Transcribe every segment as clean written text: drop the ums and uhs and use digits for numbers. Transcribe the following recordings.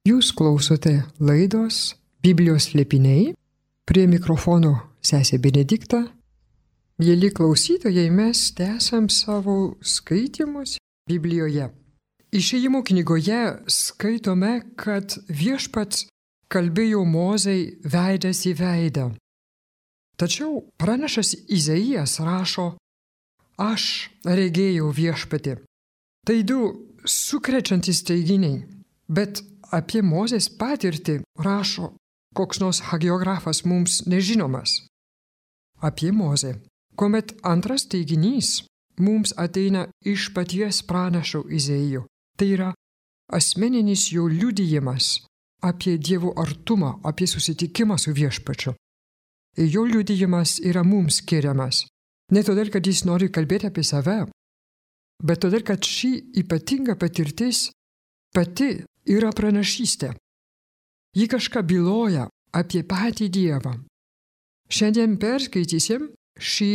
Jūs klausote laidos Biblijos slėpiniai, prie mikrofono sesė Benedikta. Mėly klausytojai, mes tęsiam savo skaitymus Biblijoje. Išėjimo knygoje skaitome, kad Viešpats kalbėjo Mozei veidas į veidą. Tačiau pranašas Izaijas rašo: aš regėjau Viešpatį. Tai du sukrečiantys teiginiai, bet apie Mozės patirtį rašo koks nors hagiografas mums nežinomas. Apie Mozę, kuomet antras teiginys mums ateina iš paties pranašo Izaijo. Tai yra asmeninis jo liudijimas apie Dievo artumą, apie susitikimą su Viešpačiu. Ir jo liudijimas yra mums skiriamas. Ne todėl, kad jis nori kalbėti apie save, bet todėl, kad ši ypatinga patirtis pati yra pranašystė. Ji kažką byloja apie patį Dievą. Šiandien perskaitysim šį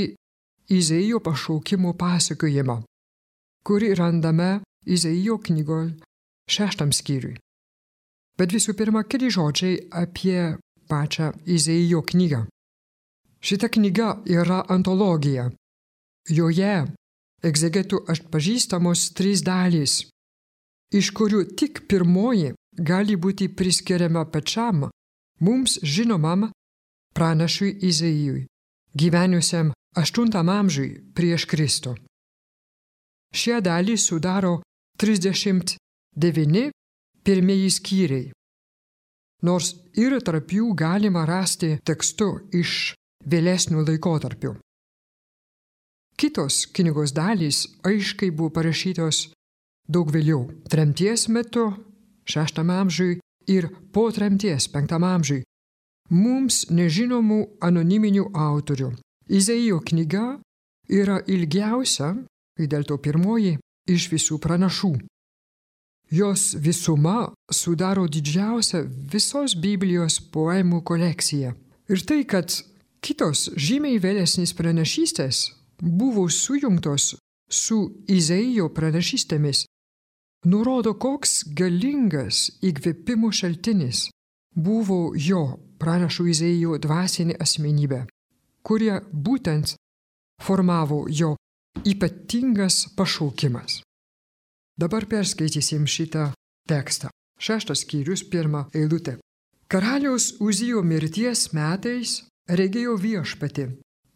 Izaijo pašaukimo pasakojimą, kurį randame Izaijo knygos 6 skyriui. Bet visų pirma, keli žodžiai apie pačią Izaijo knygą. Šita knyga yra antologija. Joje egzegetų atpažįstamos 3 dalys, iš kurių tik pirmoji gali būti priskiriama pačiam mums žinomam pranašui Izaijui, gyvenusiam 8 amžiui prieš Kristų. Šią dalį sudaro 39 pirmieji skyriai, nors ir tarp jų galima rasti tekstų iš vėlesnių laikotarpių. Kitos knygos dalys aiškiai buvo parašytos daug vėliau, tremties metu 6 amžiui ir po tremties 5 amžiui, mums nežinomų anoniminių autorių. Izaijo knyga yra ilgiausia, ir dėl to pirmoji, iš visų pranašų. Jos visuma sudaro didžiausią visos Biblijos poemų kolekciją. Ir tai, kad kitos žymiai vėlesnės pranašystės buvo sujungtos su Izaijo pranašystėmis, nurodo, koks galingas įkvėpimo šaltinis buvo jo pranašo Izaijo dvasinė asmenybė, kurie būtent formavo jo ypatingas pašaukimas. Dabar perskaitysim šitą tekstą. 6 skyrius, 1 eilutė. Karaliaus Uzijo mirties metais regėjo Viešpatį,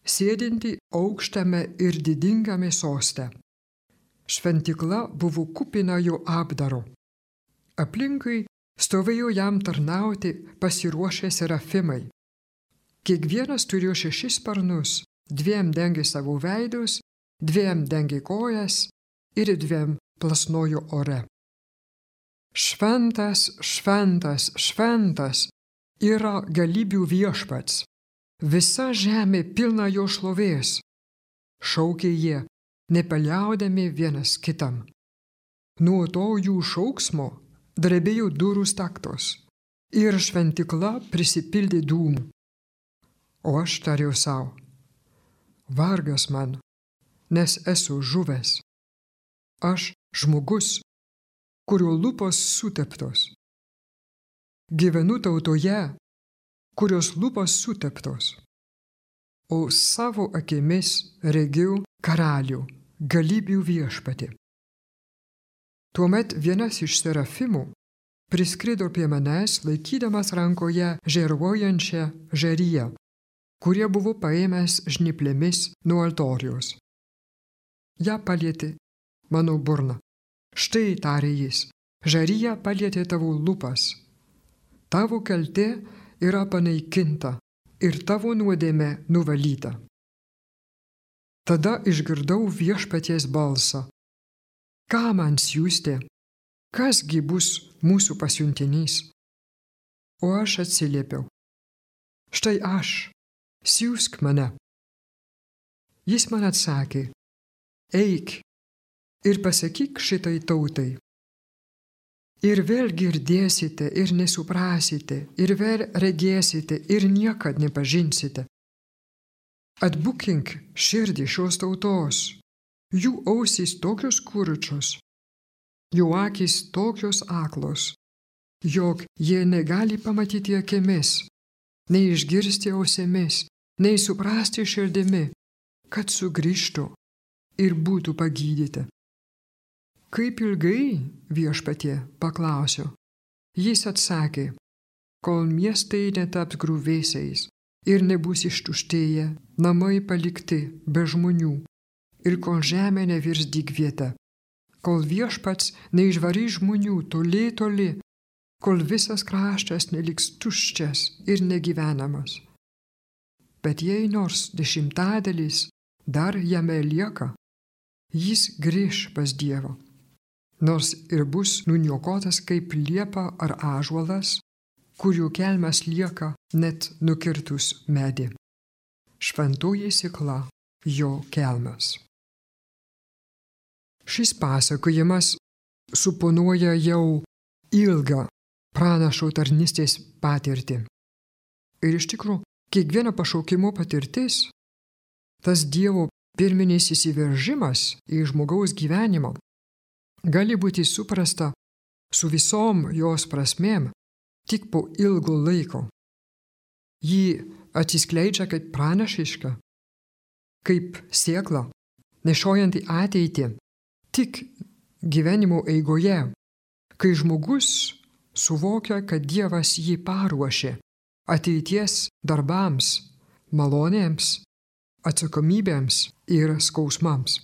sėdintį aukštame ir didingame soste. Šventykla buvo kupina jo apdaro. Aplinkui stovėjo jam tarnauti pasiruošę serafimai. Kiekvienas turėjo 6 sparnus, 2 dengė savo veidus, 2 dengė kojas ir 2 plasnojo ore. Šventas, šventas, šventas yra galybių Viešpats. Visa žemė pilna jo šlovės. Šaukė jie, nepaliaudami vienas kitam. Nuo to jų šauksmo drebėjo durų staktos ir šventykla prisipildė dūmų. O aš tariau sau: vargas man, nes esu žuvęs. Aš žmogus, kurio lūpos suteptos. Gyvenu tautoje, kurios lūpos suteptos. O savo akimis regiu karalių, galybių Viešpatį. Tuomet vienas iš serafimų priskrido prie manęs, laikydamas rankoje žėruojančią žėriją, kurie buvo paėmęs žnyplėmis nuo altoriaus. Ja palietė mano burną. Štai, tarė jis, žarija palietė tavo lūpas. Tavo kaltė yra panaikinta ir tavo nuodėmė nuvalyta. Tada išgirdau Viešpaties balsą. Ką man siųsti? Kasgi bus mūsų pasiuntinys? O aš atsiliepiau. Štai aš, siųsk mane. Jis man atsakė: eik ir pasakyk šitai tautai. Ir vėl girdėsite ir nesuprasite, ir vėl regėsite ir niekad nepažinsite. Atbukink širdį šios tautos, jų ausys tokios kurčios, jų akys tokios aklos, jog jie negali pamatyti akimis, nei išgirsti ausimis, nei suprasti širdimi, kad sugrįžtų ir būtų pagydyti. Kaip ilgai, viešpatie, paklausiu. Jis atsakė, kol miestai netaps griuvėsiais ir nebus ištuštėję, namai palikti be žmonių ir kol žemė nevirs dykvieta, kol viešpats neišvarys žmonių toli, kol visas kraštas neliks tuščias ir negyvenamas. Bet jei nors 10 dar jame lieka, jis grįš pas Dievą. Nors ir bus nuniokotas kaip liepa ar ąžuolas, kurių kelmas lieka net nukirtus medį. Šventoji sėkla jo kelmas. Šis pasakojimas suponuoja jau ilgą pranašo tarnystės patirtį. Ir iš tikrųjų, kiekvieno pašaukimo patirtis, tas Dievo pirminis įsiveržimas į žmogaus gyvenimą, gali būti suprasta su visom jos prasmėm tik po ilgo laiko. Ji atsiskleidžia kaip pranašiška, kaip sėkla, nešiojanti ateitį tik gyvenimo eigoje, kai žmogus suvokia, kad Dievas jį paruošė ateities darbams, malonėms, atsakomybėms ir skausmams.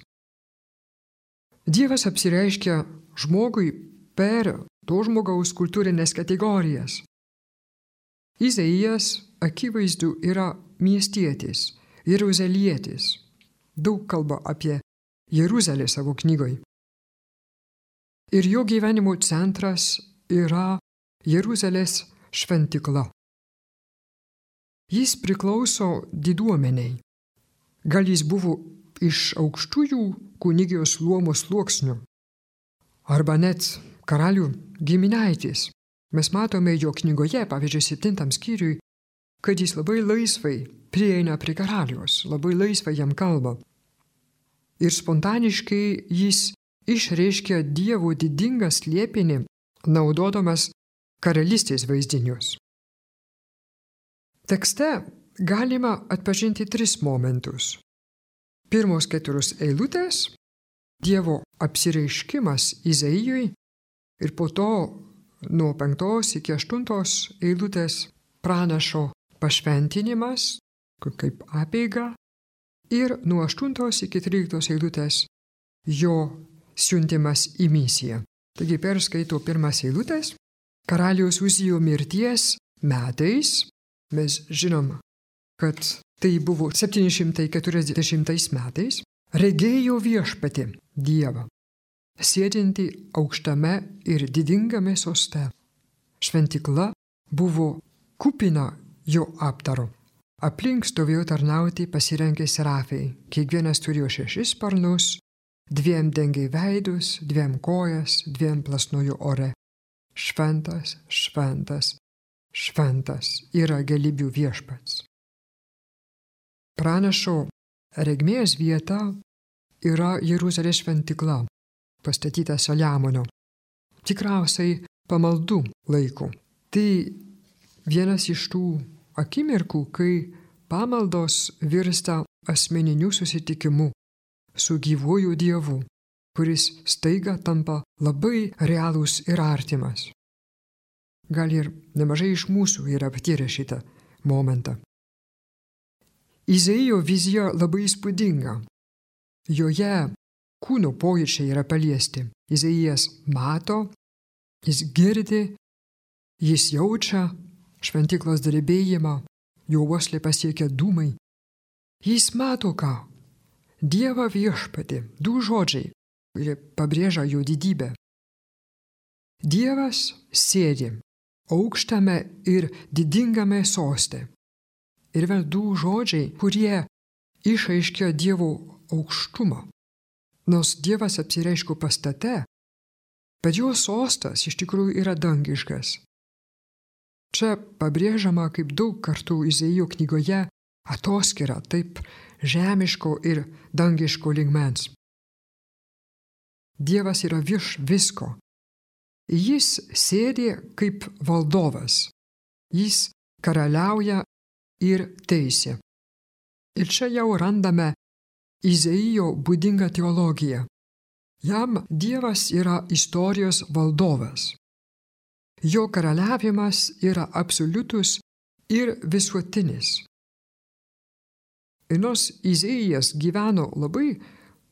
Dievas apsireiškia žmogui per to žmogaus kultūrinės kategorijas. Izaijas akivaizdu yra miestietis, jeruzalietis. Daug kalba apie Jeruzalę savo knygoj. Ir jo gyvenimo centras yra Jeruzalės šventykla. Jis priklauso diduomeniai. Gal jis buvo iš aukštųjų kunigijos luomo sluoksnių, arba net karalių giminaitis. Mes matome jo knygoje, pavyzdžiui, 7 skyriui, kad jis labai laisvai prieina prie karaliaus, labai laisvai jam kalba. Ir spontaniškai jis išreiškia Dievo didingą slėpinį, naudodamas karalystės vaizdinius. Tekste galima atpažinti 3 momentus. Pirmos 4 eilutės – Dievo apsireiškimas Izaijui ir po to nuo 5 iki 8 eilutės pranašo pašventinimas, kaip apeiga, ir nuo 8 iki 13 eilutės jo siuntimas į misiją. Taigi perskaito 1 eilutės. Karaliaus Uzijo mirties metais, mes žinom, kad tai buvo 740 metais, regėjo viešpatį Dievą, sėdintį aukštame ir didingame soste. Šventykla buvo kupina jo apdaro. Aplink stovėjo tarnauti pasirengę serafai. Kiekvienas turėjo 6 sparnus, 2 dengė veidus, 2 kojas, 2 plasnojo ore. Šventas, šventas, šventas yra galybių viešpats. Pranašo regmės vieta yra Jeruzalės šventykla, pastatyta Saliamono, tikriausiai pamaldų laikų. Tai vienas iš tų akimirkų, kai pamaldos virsta asmeniniu susitikimu su gyvuoju Dievu, kuris staiga tampa labai realus ir artimas. Gal ir nemažai iš mūsų yra patyrę šitą momentą. Izaijo vizija labai įspūdinga. Joje kūno pojūčiai yra paliesti. Izaijas mato, jis girdi, jis jaučia šventyklos drebėjimą, jo uoslę pasiekia dūmai. Jis mato ką? Dievą viešpatį, 2 žodžiai, kurie pabrėžia jo didybę. Dievas sėdi aukštame ir didingame soste. Ir vėl 2 žodžiai, kurie išaiškia Dievo aukštumą. Nors Dievas apsireiškia pastate, bet jo sostas iš tikrųjų yra dangiškas. Čia pabrėžiama kaip daug kartų Izaijo knygoje atoskyra taip žemiško ir dangiško lygmens. Dievas yra virš visko. Jis sėdi kaip valdovas. Jis karaliauja ir teisė. Ir čia jau randame Izaijo būdingą teologiją. Jam Dievas yra istorijos valdovas. Jo karaliavimas yra absoliutus ir visuotinis. Ir nors Izaijas gyveno labai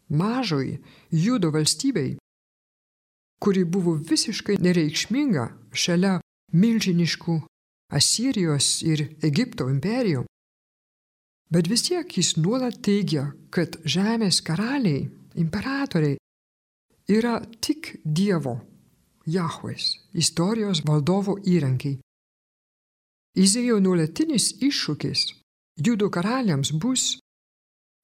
mažoj Judo valstybei, kuri buvo visiškai nereikšminga šalia milžiniškų Asirijos ir Egipto imperijų, bet vis tiek jis nuolat teigia, kad žemės karaliai, imperatoriai yra tik Dievo, Jahvės, istorijos valdovo įrankiai. Izaijo nuolatinis iššūkis Judo karaliams bus: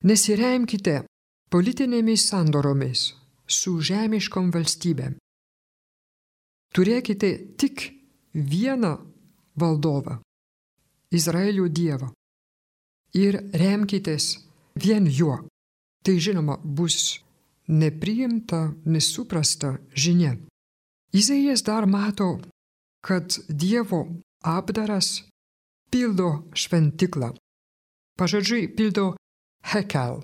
nesiremkite politinėmis sandoromis su žemiškom valstybėm. Turėkite tik vieną valdovą, Izraelio Dievą, ir remkitės vien juo. Tai žinoma bus nepriimta, nesuprasta žinia. Izaijas dar mato, kad Dievo apdaras pildo šventiklą. Pažodžiui pildo Hekel.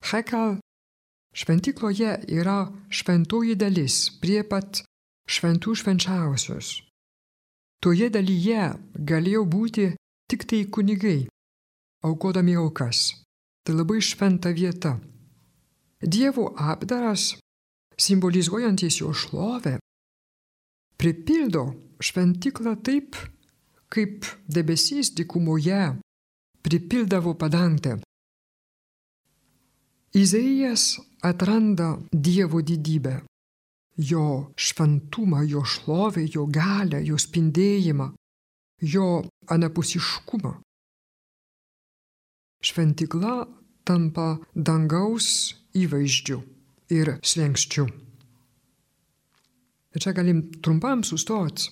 Hekel šventikloje yra šventoji dalis prie pat šventų švenčiausios. Toje dalyje galėjo būti tik tai kunigai, aukodami aukas. Tai labai šventa vieta. Dievo apdaras, simbolizuojantis jo šlovę, pripildo šventiklą taip, kaip debesys dykumoje pripildavo padangtę. Izaijas atranda Dievo didybę, jo šventumą, jo šlovę, jo galią, jo spindėjimą, jo anapusiškumą. Šventikla tampa dangaus įvaizdžiu ir slenkščiu. Ir čia galim trumpam sustoti,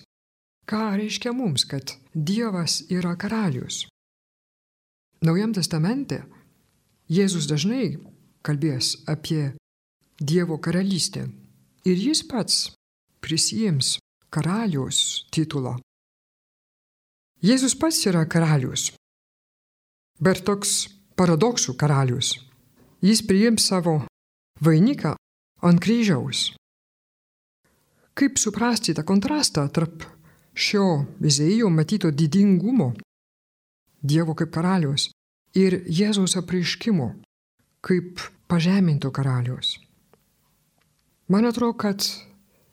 ką reiškia mums, kad Dievas yra karalius. Naujam testamente Jėzus dažnai kalbės apie Dievo karalystę ir jis pats prisiims karaliaus titulą. Jėzus pats yra karalius, bet toks paradoksų karalius. Jis priims savo vainiką ant kryžiaus. Kaip suprasti tą kontrastą tarp šio Izaijo matyto didingumo, Dievo kaip karalius, ir Jėzaus apreiškimo kaip pažeminto karaliaus? Man atrodo, kad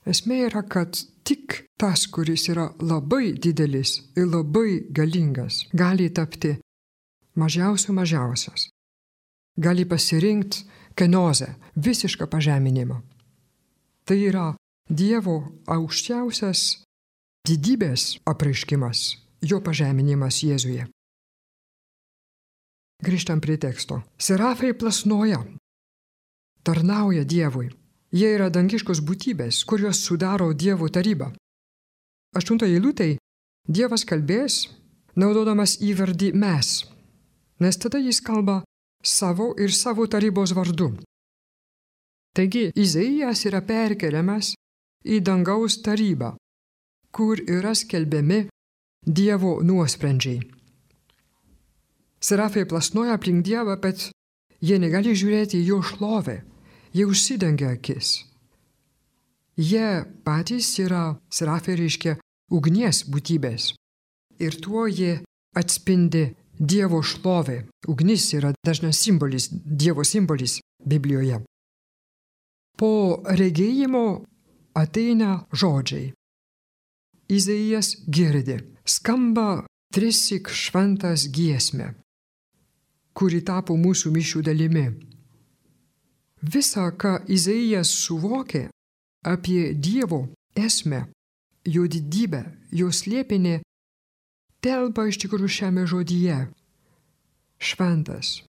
esmė yra, kad tik tas, kuris yra labai didelis ir labai galingas, gali tapti mažiausias. Gali pasirinkti kenozę, visišką pažeminimą. Tai yra Dievo aukščiausias didybės apreiškimas, jo pažeminimas Jėzuje. Grįžtam prie teksto. Serafai plasnoja, tarnauja Dievui. Jie yra dangiškos būtybės, kurios sudaro Dievo tarybą. 8 eilutėj Dievas kalbės, naudodamas įvardį mes, nes tada jis kalba savo ir savo tarybos vardu. Taigi, Izaijas yra perkeliamas į dangaus tarybą, kur yra skelbiami Dievo nuosprendžiai. Serafai plasnoja aplink Dievą, bet jie negali žiūrėti į jo šlovę. Jie užsidengia akis. Jie patys yra, serafai reiškia, ugnies būtybės. Ir tuo jie atspindi Dievo šlovę. Ugnis yra dažnas simbolis, Dievo simbolis Biblijoje. Po regėjimo ateina žodžiai. Izaijas girdi, skamba trissyk šventas giesmė, kuri tapo mūsų mišių dalimi. Visa, ką Izaijas suvokė apie Dievo esmę, jo didybę, jo slėpinį, telpa iš tikrųjų šiame žodyje. Šventas,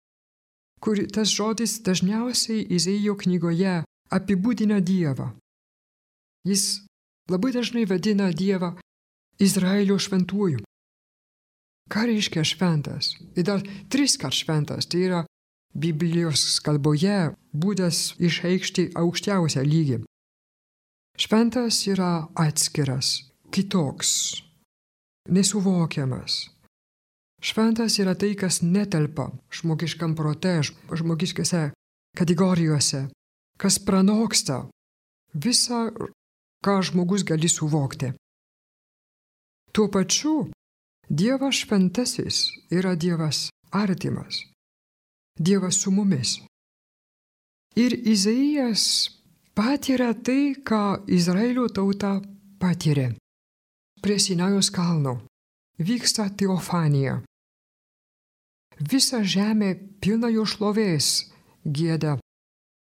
kur tas žodis dažniausiai Izaijo knygoje apibūdina Dievą. Jis labai dažnai vadina Dievą Izraelio šventuoju. Ką reiškia šventas? Ir dar 3 kart šventas, tai yra Biblijos kalboje būdas išreikšti aukščiausią lygį. Šventas yra atskiras, kitoks, nesuvokiamas. Šventas yra tai, kas netelpa žmogiškam prote, žmogiškose kategorijose, kas pranoksta visą, ką žmogus gali suvokti. Tuo pačiu Dievas šventasis yra Dievas artimas, Dievas su mumis. Ir Izaijas patiria tai, ką Izraelio tauta patiria. Prie Sinajaus kalno vyksta teofanija. Visa žemė pilna jo šlovės, gieda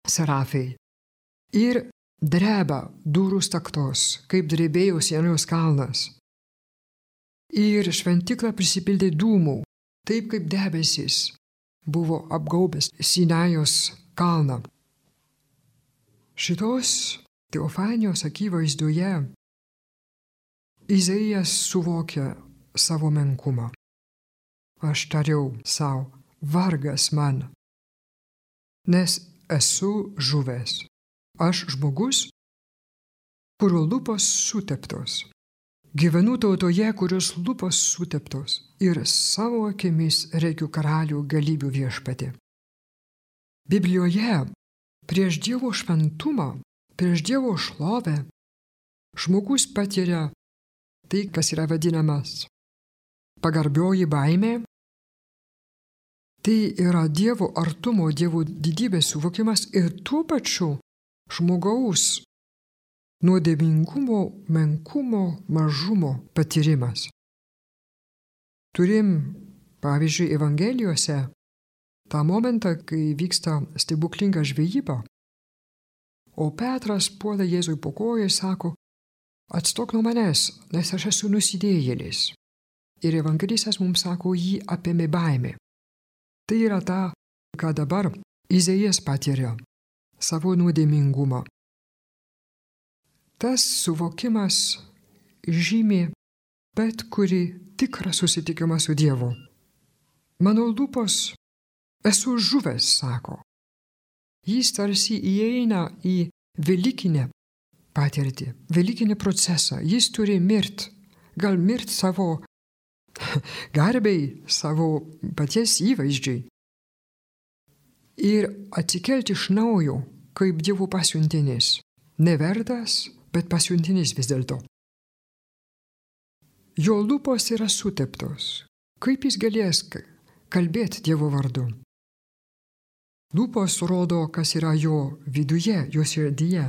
serafai. Ir dreba durų staktos, kaip drebėjo Sinajaus kalnas. Ir šventykla prisipildė dūmų, taip kaip debesis buvo apgaubęs Sinajaus kalną. Šitos teofanijos akivaizdoje Izaijas suvokia savo menkumą. Aš tariau sau, vargas man, nes esu žuvęs. Aš žmogus, kurio lūpos suteptos. Gyvenu tautoje, kurios lūpos suteptos ir savo akimis regiu karalių galybių viešpatį. Biblijoje prieš Dievo šventumą, prieš Dievo šlovę žmogus patiria tai, kas yra vadinamas pagarbioji baimė. Tai yra Dievo artumo, Dievo didybės suvokimas ir tuo pačiu žmogaus nuodėmingumo, menkumo, mažumo patyrimas. Turim, pavyzdžiui, Evangelijose tą momentą, kai vyksta stebuklinga žvejyba, o Petras puola Jėzui po kojų ir sako, atstok nuo manęs, nes aš esu nusidėjėlis. Ir evangelistas mums sako, jį apėmė baimė. Tai yra ta, ką dabar Izaijas patiria, savo nuodėmingumą. Tas suvokimas žymi bet kurį tikrą susitikimą su Dievu. Mano lūpos esu žuvęs, sako. Jis tarsi įeina į velykinę patirtį, velykinį procesą. Jis turi mirti, gal mirti savo garbei, savo paties įvaizdžiai. Ir atsikelti iš naujo, kaip Dievo pasiuntinis. Nevertas, bet pasiuntinis vis dėlto. Jo lūpos yra suteptos. Kaip jis galės kalbėti Dievo vardu? Lūpos rodo, kas yra jo viduje, jo širdyje.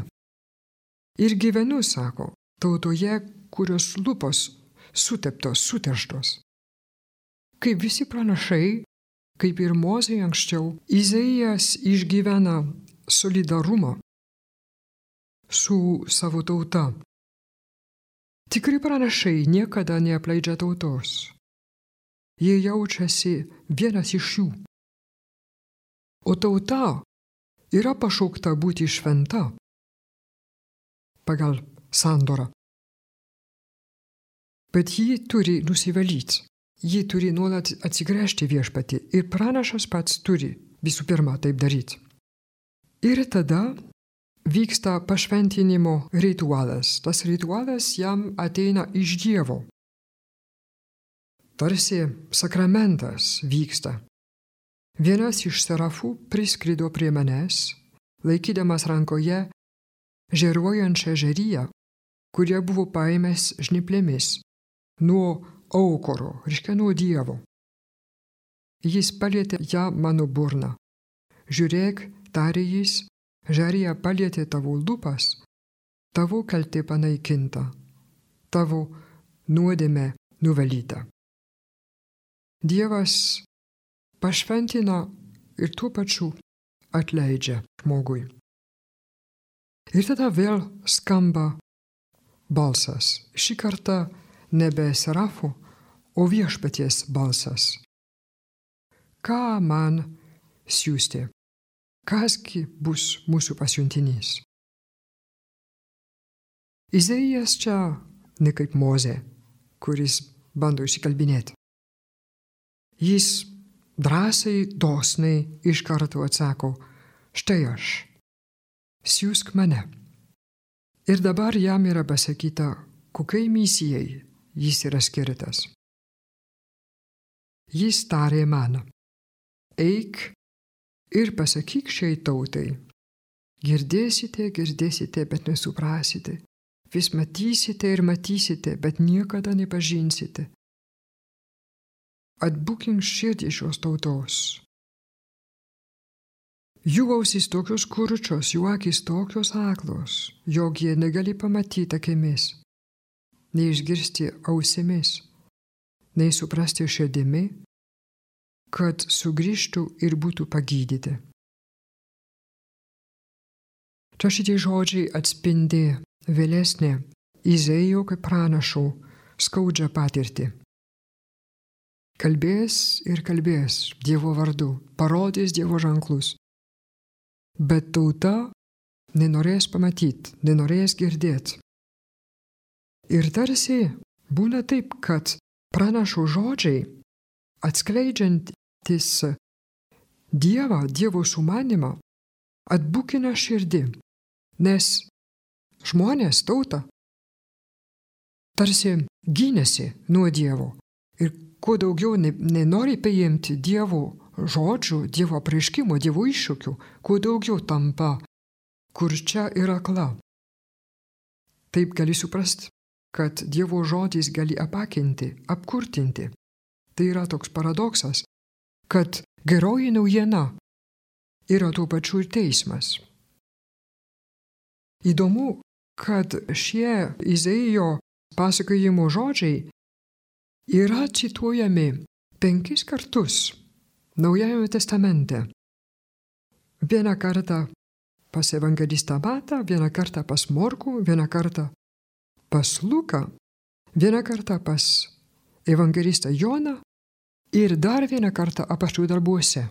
Ir gyvenu, sako, tautoje, kurios lūpos suteptos, suterštos. Kaip visi pranašai, kaip ir Mozė anksčiau, Izaijas išgyvena solidarumą su savo tauta. Tikri pranašai niekada neapleidžia tautos. Jie jaučiasi vienas iš jų. O tauta yra pašaukta būti šventa pagal sandorą. Bet ji turi nusivalyti. Ji turi nuolat atsigręžti viešpatį ir pranašas pats turi visų pirma taip daryti. Ir tada vyksta pašventinimo ritualas. Tas ritualas jam ateina iš Dievo. Tarsi sakramentas vyksta. Vienas iš serafų priskrido prie manęs, laikydamas rankoje žėruojančią žėriją, kurie buvo paėmęs žnyplėmis nuo aukuro, reiškia nuo Dievo. Jis palietė ją mano burną. Žiūrėk, tarė jis, žarija palietė tavo lūpas, tavo kaltė panaikinta, tavo nuodėmė nuvalyta. Dievas pašventina ir tuo pačiu atleidžia žmogui. Ir tada vėl skamba balsas. Šį kartą nebe serafų, o viešpaties balsas. Ką man siųsti? Kasgi bus mūsų pasiuntinys? Izaijas čia ne kaip Mozė, kuris bando išsikalbinėti. Jis drąsiai, dosniai iš karto atsako, štai aš, siųsk mane. Ir dabar jam yra pasakyta, kokiai misijai jis yra skirtas. Jis tarė man, eik ir pasakyk šiai tautai. Girdėsite, bet nesuprasite. Vis matysite ir matysite, bet niekada nepažinsite. Atbukink širdį šios tautos. Jų ausys tokios kurčios, jų akys tokios aklos, jog jie negali pamatyti akimis, nei išgirsti ausimis, nei suprasti širdimi, kad sugrįžtų ir būtų pagydyti. Čia šitie žodžiai atspindi vėlesnė Izaijo kaip pranašo skaudžią patirtį. Kalbės ir kalbės Dievo vardu, parodys Dievo ženklus. Bet tauta nenorės pamatyti, nenorės girdėti. Ir tarsi būna taip, kad pranašo žodžiai, atskleidžiantis Dievą, Dievo sumanimą, atbukina širdį, nes žmonės, tauta, tarsi gynėsi nuo Dievo ir kuo daugiau nenori paimti Dievo žodžių, Dievo apreiškimo, Dievo iššūkių, kuo daugiau tampa kurčia ir akla. Taip gali suprasti, kad Dievo žodis gali apakinti, apkurtinti. Tai yra toks paradoksas, kad geroji naujiena yra tuo pačiu ir teismas. Įdomu, kad šie Izaijo pasakojimo žodžiai yra cituojami 5 kartus Naujajame testamente. Vieną kartą pas evangelistą Matą, vieną kartą pas Morkų, vieną kartą pas Luką, vieną kartą pas evangelistą Joną ir dar vieną kartą apaštalų darbuose.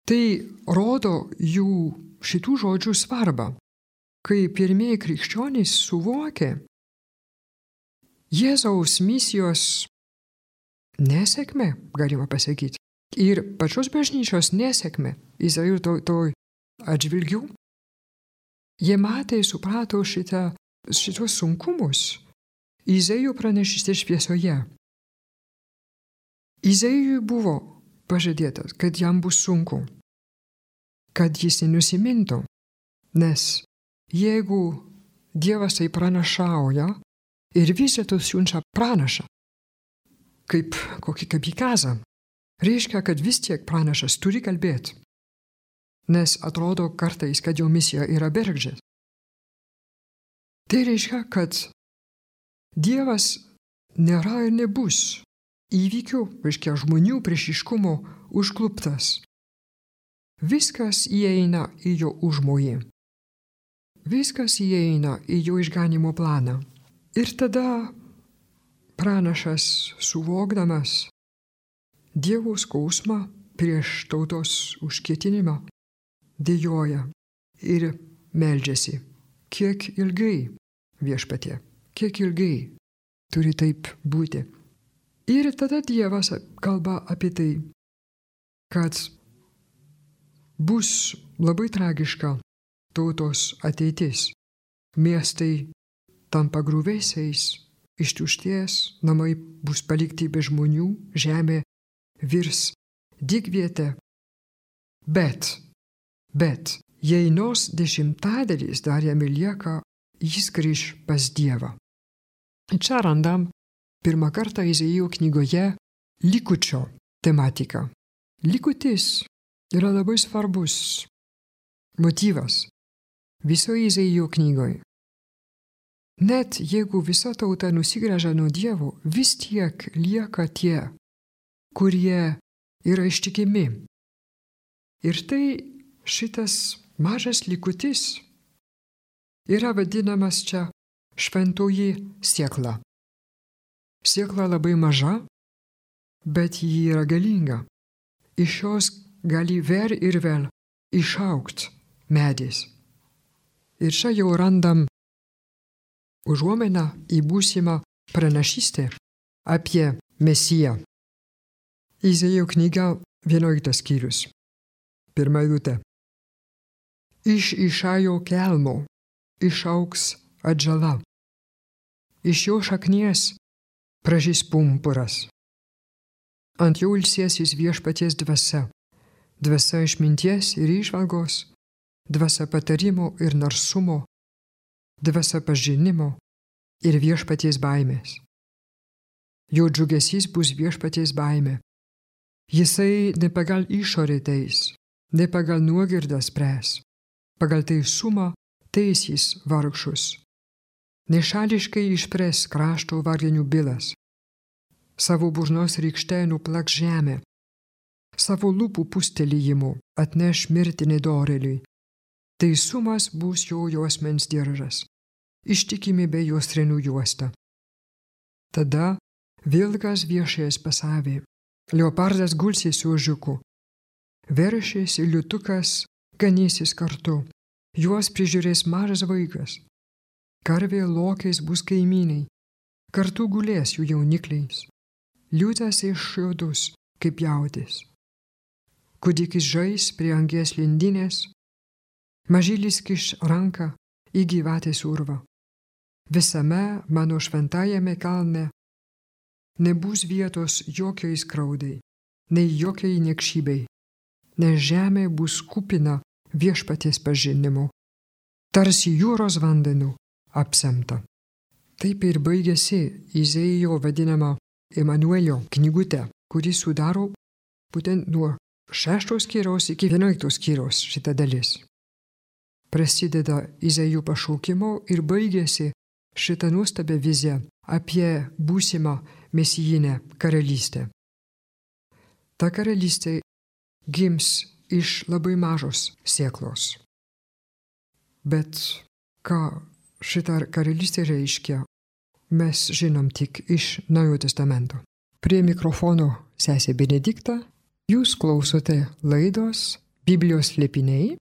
Tai rodo jų šitų žodžių svarbą, kai pirmieji krikščionys suvokė Jėzaus misijos nesėkmę, galima pasakyti, ir pačios bažnyčios nesėkmę Izraelio tautoj atžvilgių. Jie matė, suprato šitos sunkumus Izaijo pranašystės šviesoje. Izaijui buvo pažadėtas, kad jam bus sunku, kad jis nenusimintų, nes jeigu Dievas tai pranašauja ir vis dėlto siunčia pranašą, kaip kokį kapikazą, reiškia, kad vis tiek pranašas turi kalbėti, nes atrodo kartais, kad jo misija yra bergždžia. Tai reiškia, kad Dievas nėra ir nebus įvykių, reiškia žmonių priešiškumo užkluptas. Viskas įeina į jo užmojį. Viskas įeina į jo išganimo planą. Ir tada pranašas, suvokdamas Dievo skausmą prieš tautos užkietinimą, dejuoja ir meldžiasi. Kiek ilgai, Viešpatie, kiek ilgai turi taip būti. Ir tada Dievas kalba apie tai, kad bus labai tragiška tautos ateitis. Miestai tampa griuvėsiais, ištuštės, namai bus palikti be žmonių, žemė virs dykvietė. Bet, jei nors 10 dar jam lieka, jis grįš pas Dievą. Čia randam pirmą kartą Izaijo knygoje likučio tematiką. Likutis yra labai svarbus motyvas visoje Izaijo knygoje. Net jeigu visa tauta nusigręžia nuo Dievo, vis tiek lieka tie, kurie yra ištikimi. Ir tai šitas mažas likutis yra vadinamas čia šventoji siekla. Siekla labai maža, bet ji yra galinga. Iš jos gali vėl ir vėl išaugt medis. Ir čia jau randam užuominą į būsimą pranašystę apie Mesiją. Izaijo knyga 11 skyrius. 1 eilutė. Iš Išajo kelmo, išaugs atžala. Iš jo šaknies pražys pumpuras. Ant jo ilsėsis viešpaties dvasia, dvasia išminties ir įžvalgos, dvasia patarimo ir narsumo, dvasia pažinimo ir viešpaties baimės. Jo džiugesys bus viešpaties baimė. Jisai ne pagal išorę teis, ne pagal nuogirdą spręs, pagal teisumą teisys vargšus. Nešališkai išpres krašto varginių bylas. Savo burnos rykšte nuplaks žemę. Savo lūpų pūstelėjimu atneš mirtį nedorėliui. Teisumas bus jo juosmens diržas. Ištikimybė jos trenų juosta. Tada vilkas viešės pasavė. Leopardas gulsis su ožiuku. Veršis ir liūtukas ganysis kartu. Juos prižiūrės mažas vaikas. Karvė lokiais bus kaimynai. Kartu gulės jų jaunikliais. Liūtas iššiodus kaip jautis. Kūdikis žais prie angies lindinės. Mažylis kiš ranką į gyvatės urvą. Visame mano šventajame kalne nebus vietos jokiai skaudai, nei jokiai niekšybei, nes žemė bus kupina viešpaties pažinimu, tarsi jūros vandenų apsemta. Taip ir baigėsi Izaijo vadinama Emanuelio knygutė, kuri sudaro būtent nuo 6 skyriaus iki 11 skyriaus šita dalis. Prasideda Izaijo pašaukimo ir baigėsi šitą nuostabią viziją apie būsimą mesijinę karalystę. Ta karalystė gims iš labai mažos sėklos. Bet ką šitą karalystę reiškia, mes žinom tik iš Naujojo testamento. Prie mikrofono sesė Benedikta, jūs klausote laidos Biblijos slėpiniai